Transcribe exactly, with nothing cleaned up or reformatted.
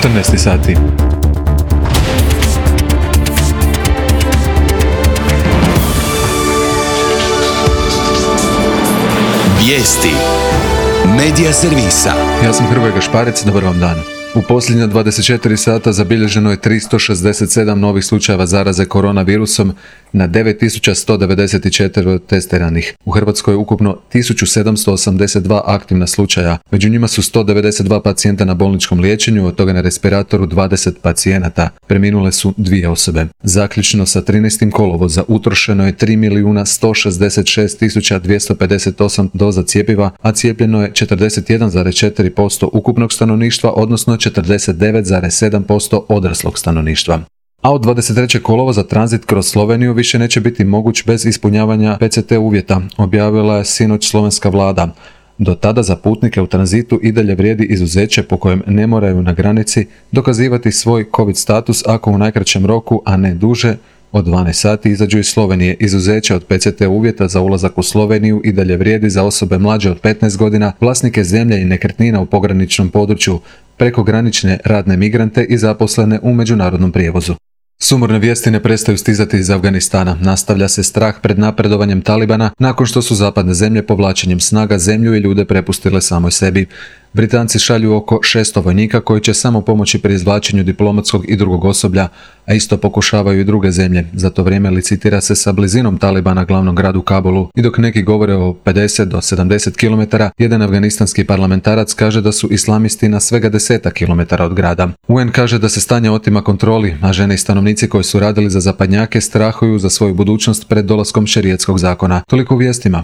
četrnaest sati. Vijesti Medija servisa. Ja sam Hrvoje Gašparec, dobar vam dan. U posljednja dvadeset četiri sata zabilježeno je tristo šezdeset sedam novih slučajeva zaraze koronavirusom na devet tisuća sto devedeset četiri testiranih. U Hrvatskoj je ukupno tisuću sedamsto osamdeset dva aktivna slučaja. Među njima su sto devedeset dva pacijenta na bolničkom liječenju, od toga na respiratoru dvadeset pacijenata. Preminule su dvije osobe. Zaključno sa trinaestim kolovoza utrošeno je tri milijuna sto šezdeset šest tisuća dvjesto pedeset osam doza cjepiva, a cijepljeno je četrdeset jedan zarez četiri posto ukupnog stanovništva, odnosno četrdeset devet zarez sedam posto odraslog stanovništva. A od dvadeset trećeg kolovoza tranzit kroz Sloveniju više neće biti moguć bez ispunjavanja P C T uvjeta, objavila je sinoć slovenska vlada. Do tada za putnike u tranzitu i dalje vrijedi izuzeće po kojem ne moraju na granici dokazivati svoj COVID status ako u najkraćem roku, a ne duže, od dvanaest sati izađu iz Slovenije. Izuzeće od P C T uvjeta za ulazak u Sloveniju i dalje vrijedi za osobe mlađe od petnaest godina, vlasnike zemlje i nekretnina u pograničnom području, prekogranične radne migrante i zaposlene u međunarodnom prijevozu. Sumorne vijesti ne prestaju stizati iz Afganistana. Nastavlja se strah pred napredovanjem Talibana nakon što su zapadne zemlje povlačenjem snaga zemlju i ljude prepustile samoj sebi. Britanci šalju oko šesto vojnika koji će samo pomoći pri izvlačenju diplomatskog i drugog osoblja, a isto pokušavaju i druge zemlje. Za to vrijeme licitira se sa blizinom Talibana glavnom gradu Kabulu i dok neki govore o pedeset do sedamdeset kilometara, jedan afganistanski parlamentarac kaže da su islamisti na svega desetak kilometara od grada. U N kaže da se stanje otima kontroli, a žene i stanovnici koji su radili za zapadnjake strahuju za svoju budućnost pred dolaskom šerijatskog zakona. Toliko u vijestima.